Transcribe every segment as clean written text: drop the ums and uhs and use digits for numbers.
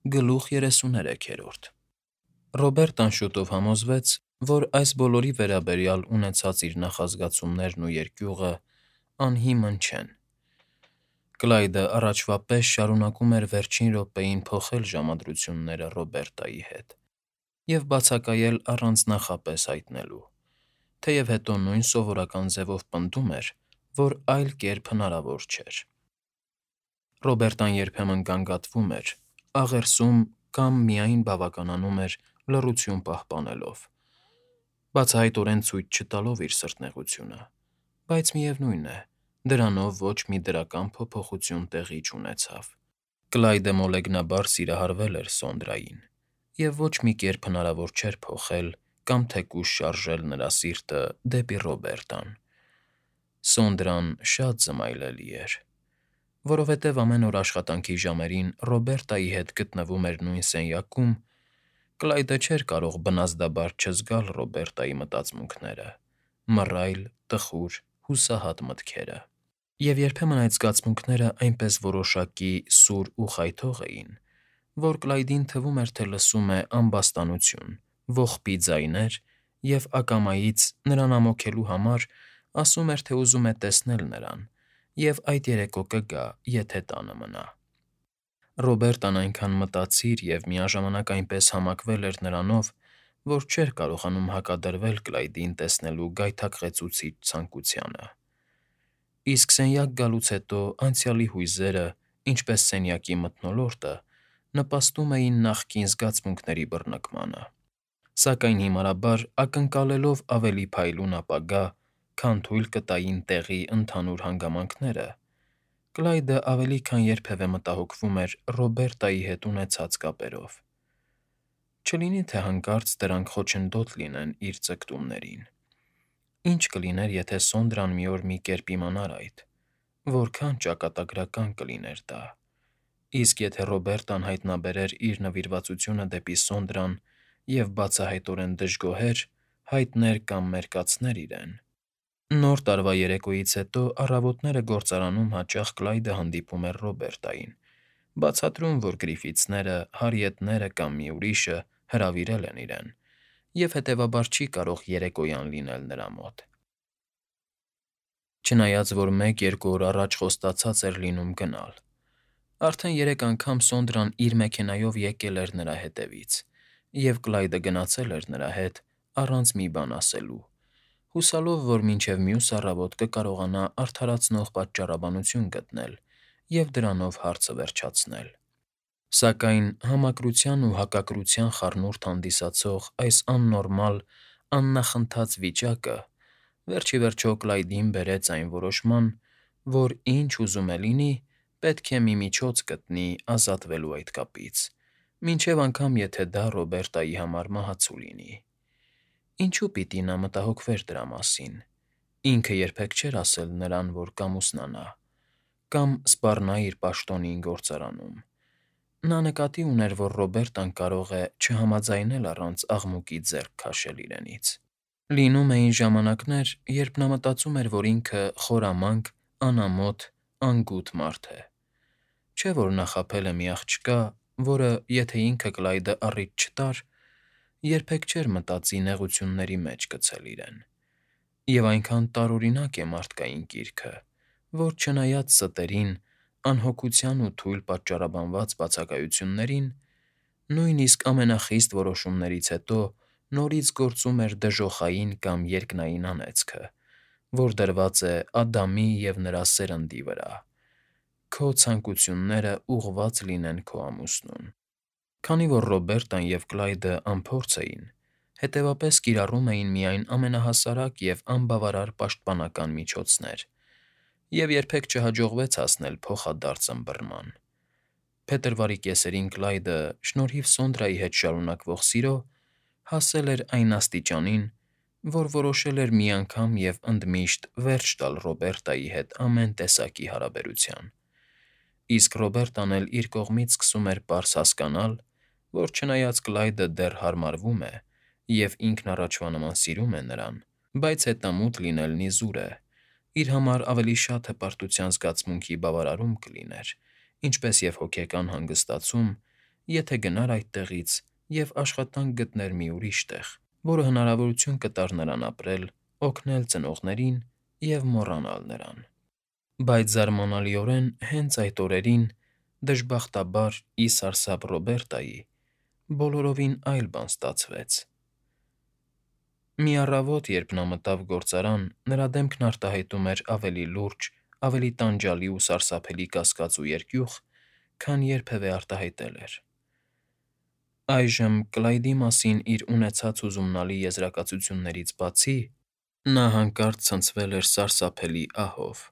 Գլուխ 33-րդ Ռոբերտան շուտով համոզվեց, որ այս բոլորի վերաբերյալ ունեցած իր նախազգացումներն ու երկյուղը անհիմն չեն։ Կլայդը առաջվա պես շարունակում էր վերջին րոպեին փոխել ժամադրությունները Ռոբերտայի հետ և բացակայել առանց նախապես հայտնելու, թեև հետո նույն սովորական ձևով պնդում էր, որ այլ կերպ հնարավոր չէր։ Ռոբերտան երբեմն գանգատվում էր, աղերսում կամ միայն բավականանում էր լռություն պահպանելով, բացահայտորեն ցույց չտալով իր սրտնեղությունը, բայց միևնույն է, դրանով ոչ մի դրական փոփոխություն տեղի չունեցավ։ Կլայդը մոլեգնաբար սիրահարվել էր Սոնդրային, և ոչ մի կերպ հնարավոր չէր փոխել կամ թեկուզ շարժել նրա սիրտը դեպի Ռոբերտան։ Սոնդրան շատ զմայլելի էր, որովհետև ամեն օր աշխատանքի ժամերին Ռոբերտայի հետ գտնվում էր նույն սենյակում, Կլայդը չէր կարող բնազդաբար չզգալ Ռոբերտայի մտածմունքները, մռայլ, տխուր, հուսահատ մտքերը։ Եվ երբեմն այդ զգացմունքները այնպես որոշակի սուր ու խայթող էին, որ Կլայդին թվում էր, թե լսում է ամբաստանություն, ողբի ձայներ և ակամայից, նրան ամոթելու համար, ասում էր, թե ուզում է տեսնել նրան և այդ երեկո կգա, եթե տանը մնա։ Ռոբերտան այնքան մտածիր և միաժամանակ այնպես համակվել էր նրանով, որ չէր կարողանում հակադրվել Կլայդին տեսնելու գայթակղեցուցիչ ցանկությանը։ Իսկ սենյակ գալուց հետո անցյալի հույզերը, ինչպես սենյակի մթնոլորտը, նպաստում էին նախկին զգացմունքների բռնկմանը։ Սակայն հիմարաբար, ակնկալելով ավելի փայլուն ապագա, քան թույլ կտային տեղի ընդհանուր հանգամանքները, Կլայդը ավելի քան երբևէ մտահոգվում էր Ռոբերտայի հետ ունեցած կապերով։ Չլինի՞ թե հանկարծ դրանք խոչընդոտ լինեն իր ձգտումներին։ Ի՞նչ կլիներ, եթե Սոնդրան մի օր մի կերպ իմանար այդ, որքան ճակատագրական կլիներ դա։ Իսկ եթե Ռոբերտան հայտնաբերեր իր նվիրվածությունը դեպի Սոնդրան և բացահայտորեն դժգոհեր, հայտներ կամ մերկացներ իրեն։ Նոր տարվա երեկոյից հետո առավոտները գործարանում հաճախ Կլայդը հանդիպում էր Ռոբերտային, բացատրում, որ Գրիֆիթսները, Հարիեթները կամ մի ուրիշը հրավիրել են իրեն, և հետևաբար չի կարող երեկոյան լինել նրա մոտ։ Չնայած որ 1-2 օր առաջ խոստացած էր լինում գնալ։ Արդեն 3 անգամ Սոնդրան իր մեքենայով եկել էր նրա հետևից, և Կլայդը գնացել էր նրա հետ առանց մի բան ասելու, հուսալով, որ մինչև մյուս առավոտ կկարողանա արդարացնող պատճառաբանություն գտնել և դրանով հարցը վերջացնել։ Սակայն համակրության ու հակակրության խառնուրդ հանդիսացող այս աննորմալ, աննախընթաց վիճակը վերջ ի վերջո Կլայդին բերեց այն որոշման, որ ինչ ուզում է լինի, պետք է մի միջոց գտնի ազատվելու այդ կապից, մինչև անգամ եթե դա Ռոբերտայի համար մահացու լինի։ Ինչո՞ւ պիտի նա մտահոգվեր դրա մասին։ Ինքը երբեք չէր ասել նրան, որ կամուսնանա, կամ սպառնա իր պաշտոնին գործարանում։ Նա նկատի ուներ, որ Ռոբերտան կարող է չհամաձայնել առանց աղմուկի ձեռք քաշել իրենից։ Լինում էին ժամանակներ, երբ նա մտածում էր, որ ինքը խորամանկ, անամոթ, անգութ մարդ է։ Չէ՞ որ նա խաբել է մի աղջկա, որը, եթե ինքը Կլայդը առիթ չտար, երբեք չէր մտածի նեղությունների մեջ գցել իրեն։ Եվ այնքան տարօրինակ է մարդկային կիրքը, որ չնայած ստերին, անհոգության ու թույլ պատճառաբանված բացակայություններին, նույնիսկ ամենախիստ որոշումներից հետո նորից գործում էր դժոխային կամ երկնային անեծքը, որ դրված է Ադամի և նրա սերնդի վրա. «Քո ցանկությունները ուղղված լինեն քո ամուսնուն»։ Քանի որ Ռոբերտան և Կլայդը անփորձ էին, հետևապես կիրառում էին միայն ամենահասարակ և անբավարար պաշտպանական միջոցներ, և երբեք չհաջողվեց հասնել փոխադարձ ըմբռնման։ Փետրվարի կեսերին Կլայդը, շնորհիվ Սոնդրայի հետ շարունակվող սիրո, հասել էր այն աստիճանին, որ որոշել էր մի անգամ և ընդմիշտ վերջ տալ Ռոբերտայի հետ ամեն տեսակի հարաբերության։ Իսկ Ռոբերտան էլ իր կողմից սկսում էր պարզ հասկանալ, որ չնայած Կլայդը դեռ հարմարվում է և ինքն առաջվա նման սիրում է նրան, բայց հետամուտ լինելն իզուր է, իր համար ավելի շատ հպարտության զգացմունքի բավարարում կլիներ, ինչպես և հոգեկան հանգստացում եթե գնար այդտեղից և աշխատանք գտներ մի ուրիշ տեղ, որը հնարավորություն կտար նրան ապրել, օգնել ծնողներին և մոռանալ նրան։ Բայց զարմանալիորեն հենց այդ օրերին, դժբախտաբար, ի սարսափ Ռոբերտայի, բոլորովին այլ բան ստացվեց։ Մի առավոտ, երբ նա մտավ գործարան, նրա դեմքն արտահայտում էր ավելի լուրջ, ավելի տանջալի ու սարսափելի կասկած ու երկյուղ, քան երբևէ արտահայտել էր։ Այժմ Կլայդի մասին իր ունեցած հուզումնալի եզրակացություններից բացի, նա հանկարծ ցնցվել էր սարսափելի ահով։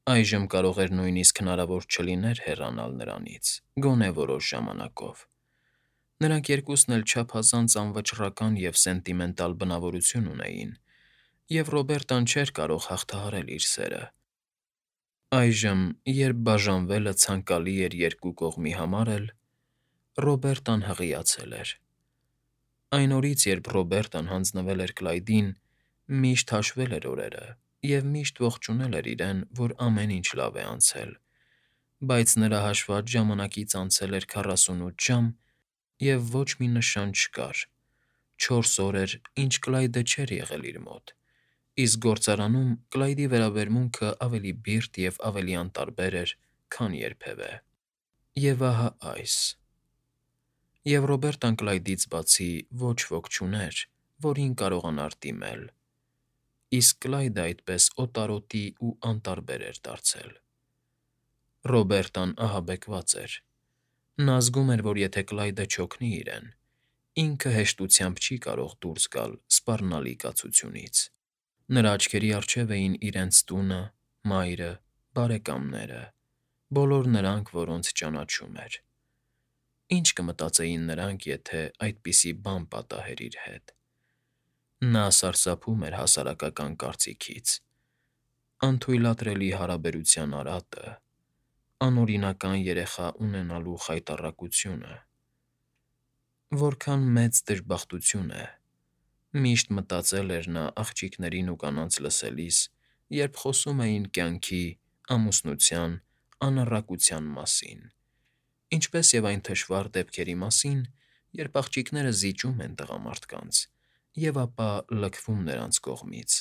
Այժմ կարող էր նույնիսկ հնարավոր չլիներ հեռանալ նրանից, գոնե որոշ ժամանակով։ Նրանք երկուսն էլ չափազանց անվճռական և սենտիմենտալ բնավորություն ունեին, և Ռոբերտան չէր կարող հաղթահարել իր սերը։ Այժմ, երբ բաժանվելը ցանկալի էր երկու կողմի համար էլ, Ռոբերտան հղիացել էր։ Այն օրից, երբ Ռոբերտան հանձնվել էր Կլայդին, միշտ հաշվել էր օրերը և միշտ ողջունել էր իրեն, որ ամեն ինչ լավ է անցել, բայց նրա հաշված ժամանակից անցել էր 48 ժամ, և ոչ մի նշան չկար։ 4 օր էր, ինչ Կլայդը չէր եղել իր մոտ, իսկ գործարանում Կլայդի վերաբերմունքը ավելի բիրտ և ավելի անտարբեր էր, քան երբևէ։ Եվ ահա այս։ Եվ Ռոբերտան Կլայդից բացի ոչ ոք չուներ, որին կարողանար դիմել, իսկ Կլայդը այդպես օտարոտի ու անտարբեր էր դարձել։ Ռոբերտան ահաբեկված էր։ Նա զգում էր, որ եթե Կլայդը չօգնի իրեն, ինքը հեշտությամբ չի կարող դուրս գալ սպառնալի կացությունից։ Նրա աչքերի առջև էին իրենց տունը, մայրը, բարեկամները, բոլոր նրանք, որոնց ճանաչում էր։ Ինչ կմտածեին նրանք, եթե այդպիսի բան պատահեր իր հետ։ Նա սարսափում էր հասարակական կարծիքից։ Անթույլատրելի հարաբերության արատը, անօրինական երեխա ունենալու խայտառակությունը։ Որքան մեծ դժբախտություն է, միշտ մտածել էր նա աղջիկներին ու կանանց լսելիս, երբ խոսում էին կյանքի, ամուսնության, անառակության մասին, ինչպես և այն թշվառ դեպքերի մասին, երբ աղջիկները զիջում են տղամարդկանց և ապա լքվում նրանց կողմից։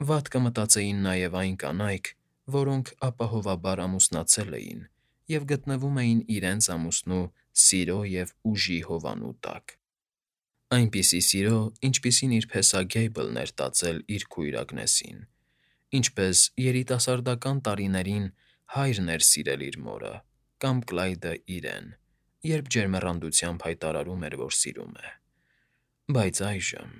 Վատ կմտածեին նաև այն կանայք, որոնք ապահովաբար ամուսնացել էին և գտնվում էին իրենց ամուսնու սիրո և ուժի հովանու տակ։ Այնպիսի սիրո, ինչպիսին իր փեսա Գեյբլն էր տածել իր քույր Ագնեսին, ինչպես երիտասարդական տարիներին հայրն էր սիրել իր մորը, կամ Կլայդը իրեն, երբ ջերմեռանդությամբ հայտարարում էր, որ սիրում է։ Բայց այժմ…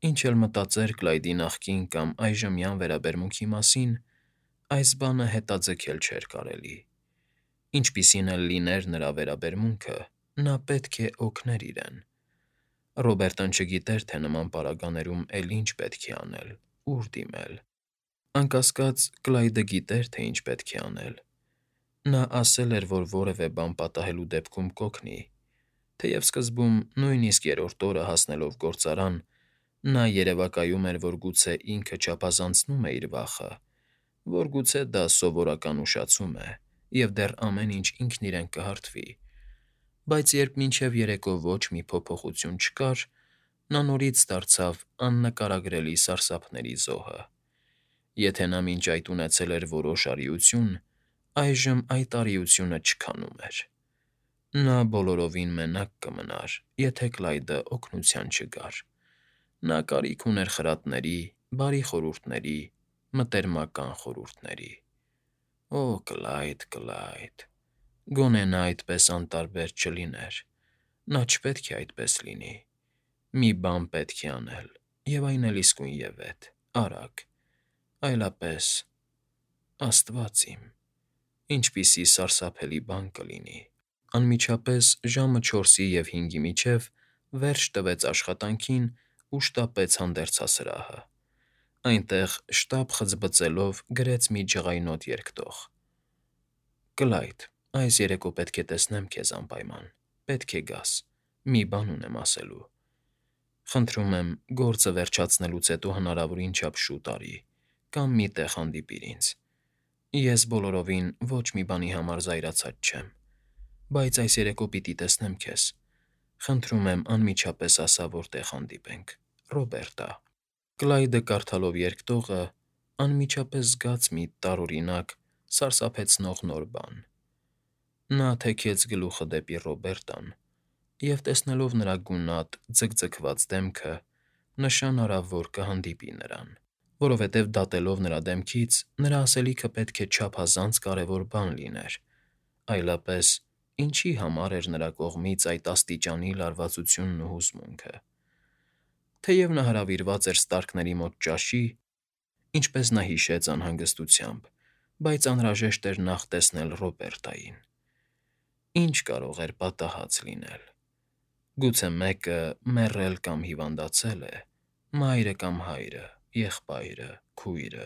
Ինչ էլ մտածեր Կլայդի նախկին կամ այժմյան վերաբերմունքի մասին, այս բանը հետաձգել չէր կարելի։ Ինչպիսին էլ լիներ նրա վերաբերմունքը, նա պետք է օգներ իրեն։ Ռոբերտան չգիտեր, թե նման պարագաներում էլ ինչ պետք է անել, ուր դիմել։ Անկասկած, Կլայդը գիտեր, թե ինչ պետք է անել։ Նա ասել էր, որ որևէ բան պատահելու դեպքում կօգնի, թեև սկզբում, նույնիսկ երրորդ օրը հասնելով գործարան, նա երևակայում էր, որ գուցե ինքը չափազանցնում է իր վախը, որ գուցե դա սովորական ուշացում է, և դեռ ամեն ինչ ինքն իրեն կհարթվի։ Բայց երբ մինչև երեկո ոչ մի փոփոխություն չկար, նա նորից դարձավ աննկարագրելի սարսափների զոհը։ Եթե նա մինչ այդ ունեցել էր որոշ արիություն, այժմ այդ արիությունը չքանում էր։ Նա բոլորովին մենակ կմնար, եթե Կլայդը օգնության չգար։ Նա կարիք ուներ խրատների, բարի խորհուրդների, մտերմական խորհուրդների։ Օ, Կլայդ, Կլայդ… Գոնե նա այդպես անտարբեր չլիներ։ Նա չպետք է այդպես լինի։ Մի բան պետք է անել, և այն էլ իսկույնևեթ, արագ։ Այլապես… Աստված իմ… Ինչպիսի սարսափելի բան կլինի… Անմիջապես ժամը 4-ի և 5-ի միջև վերջ տվեց աշխատանքին ու շտապեց հանդերձասրահը։ Այնտեղ, շտապ խցբծելով, գրեց մի ջղայնոտ երկտող. «Կլայդ, այս երեկո պետք է տեսնեմ քեզ անպայման, պետք է գաս, մի բան ունեմ ասելու։ Խնդրում եմ, գործը վերջացնելուց հետո հնարավորին չափ շուտ արի, կամ մի տեղ հանդիպիր ինձ։ Ես բոլորովին ոչ մի բանի համար զայրացած չեմ, բայց այս երեկո պիտի տեսնեմ քեզ։ Խնդրում եմ անմիջապես ասա, որտեղ հանդիպենք, Ռոբերտա։ Կլայդը կարդալով երկտողը անմիջապես զգաց մի տարօրինակ, սարսափեցնող նոր բան։ Նա թեքեց գլուխը դեպի Ռոբերտան և, տեսնելով նրա գունատ, ձգձգված դեմքը, նշան արավ, որ կհանդիպի նրան, որովհետև դատելով նրա դեմքից, նրա ասելիքը պետք է չափազանց կարևոր բան լիներ, այլապես ինչի համար էր նրա կողմից այդ աստիճանի լարվածությունն ու հուզմունքը։ Թեև նա հրավիրված էր Ստարկների մոտ ճաշի, ինչպես նա հիշեց անհանգստությամբ, բայց անհրաժեշտ էր նախ տեսնել Ռոբերտային։ Ինչ կարող էր պատահած լինել։ Գուցե մեկը մեռել կամ հիվանդացել է, մայրը կամ հայրը, եղբայրը, քույրը։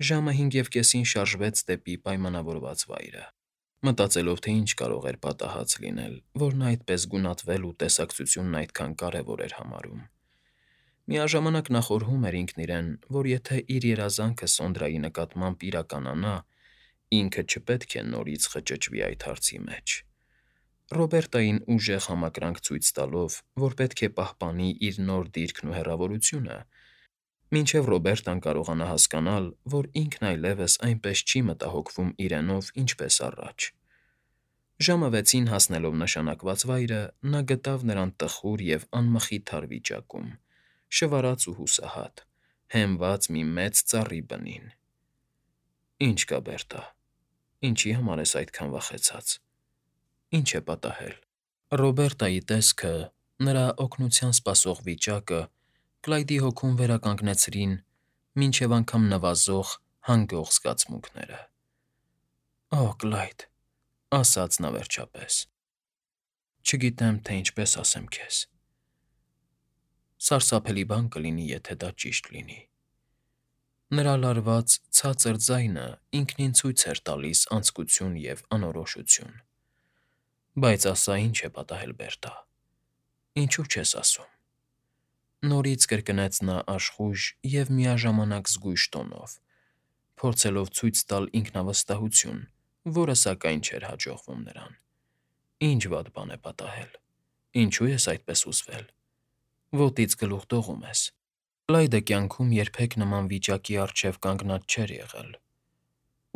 Ժամը 5:30-ին շարժվեց դեպի պայմանավորված վայրը, մտածելով, թե ինչ կարող էր պատահած լինել, որ նա այդպես գունատվել ու տեսակցությունն այդքան կարևոր էր համարում։ Միաժամանակ նա խորհում էր ինքն իրեն, որ եթե իր երազանքը Սոնդրայի նկատմամբ իրականանա, ինքը չպետք է նորից խճճվի այդ հարցի մեջ։ Ռոբերտային ուժեղ համակրանք ցույց տալով, որ պետք է պահպանի իր նոր դիրքն ու հեռավորությունը, մինչև Ռոբերտան կարողանա հասկանալ, որ ինքն այլևս այնպես չի մտահոգվում իրենով, ինչպես առաջ։ Ժամը 6-ին հասնելով նշանակված վայրը, նա գտավ նրան տխուր և անմխիթար վիճակում, շվարած ու հուսահատ, հենված մի մեծ ծառի բնին։ Ինչ կա, Բերտա, ինչի համար ես այդքան վախեցած։ Ինչ է պատահել։ Ռոբերտայի տեսքը, նրա օգնության սպասող վիճակը Կլայդի հոգում վերականգնեցրին մինչև անգամ նվազող, հանգող զգացմունքները։ «Օ, Կլայդ», ասաց նա վերջապես, չգիտեմ, թե ինչպես ասեմ քեզ։ Սարսափելի բան կլինի, եթե դա ճիշտ լինի։ Նրա լարված, ցածր ձայնը ինքնին ցույց էր տալիս անձկություն և անորոշություն։ Բայց ասա, ինչ է պատահել, Բերտա։ Ինչու չես ասում։ Նորից կրկնեց նա աշխույժ և միաժամանակ զգույշ տոնով, փորձելով ցույց տալ ինքնավստահություն, որը, սակայն, չէր հաջողվում նրան։ Ինչ վատ բան է պատահել։ Ինչու ես այդպես հուզվել։ Ոտից գլուխ դողում ես։ Կլայդը կյանքում երբեք նման վիճակի առջև կանգնած չէր եղել,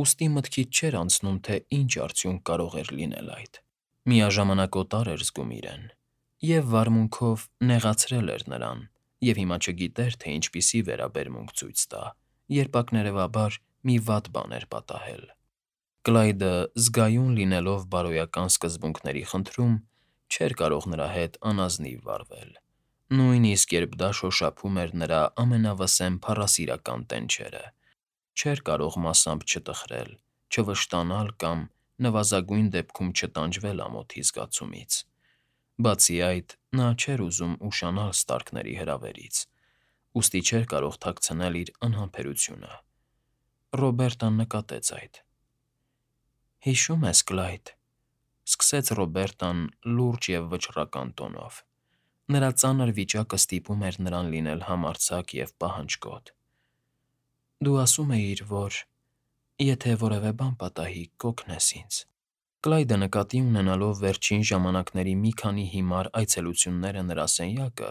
ուստի մտքից չէր անցնում, թե ինչ արդյունք կարող էր լինել այդ։ Միաժամանակ օտար էր զգում իրեն և վարմունքով նեղացրել էր նրան և հիմա չգիտեր, թե ինչպիսի վերաբերմունք ցույց տա, երբ ակներևաբար մի վատ բան էր պատահել։ Կլայդը, զգայուն լինելով բարոյական սկզբունքների խնդրում, չէր կարող նրա հետ անազնիվ վարվել, նույնիսկ երբ դա շոշափում էր նրա ամենավսեմ փառասիրական տենչերը, չէր կարող մասամբ չտխրել, չվշտանալ կամ նվազագույն դեպքում չտանջվել ամոթի զգացումից։ Բացի այդ, նա չէր ուզում ուշանալ Ստարկների հրավերից, ուստի չէր կարող թաքցնել իր անհամբերությունը։ Ռոբերտան նկատեց այդ։ «Հիշո՞ւմ ես, Կլայդ», ֊ սկսեց Ռոբերտան լուրջ և վճռական տոնով։ Նրա ծանր վիճակը ստիպում էր նրան լինել համարձակ և պահանջկոտ։ «Դու ասում էիր, որ եթե որևէ բան պատահի, կօգնես ինձ»։ Կլայդը նկատի ունենալով վերջին ժամանակների մի քանի հիմար այցելությունները նրա սենյակը,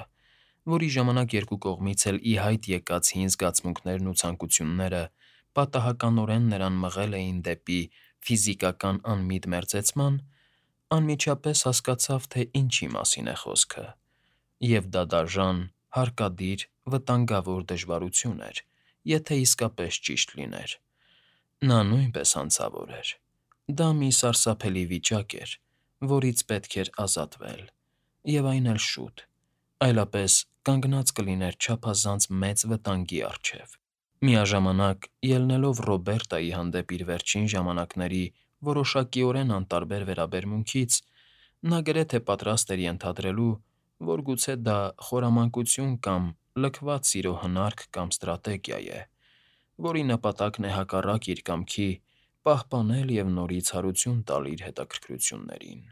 որի ժամանակ երկու կողմից էլ ի հայտ եկած հին զգացմունքներն ու ցանկությունները պատահականորեն նրան մղել էին դեպի ֆիզիկական անմիտ մերձեցման, անմիջապես հասկացավ, թե ինչի մասին է խոսքը, և դա դաժան, հարկադիր, վտանգավոր դժվարություն էր, եթե իսկապես ճիշտ լիներ։ Նա նույնպես հանցավոր էր։ Դա մի սարսափելի վիճակ էր, որից պետք էր ազատվել, և այն էլ շուտ, այլապես կանգնած կլիներ չափազանց մեծ վտանգի առջև։ Միաժամանակ, ելնելով Ռոբերտայի հանդեպ իր վերջին ժամանակների որոշակիորեն անտարբեր վերաբերմունքից, նա գրեթե պատրաստ էր ենթադրելու, որ գուցե դա խորամանկություն կամ լքված սիրո հնարք կամ ստրատեգիա է, որի նպատակն է հակառակ իր կամքի պահպանել և նորից հարություն տալ իր հետաքրքրություններին։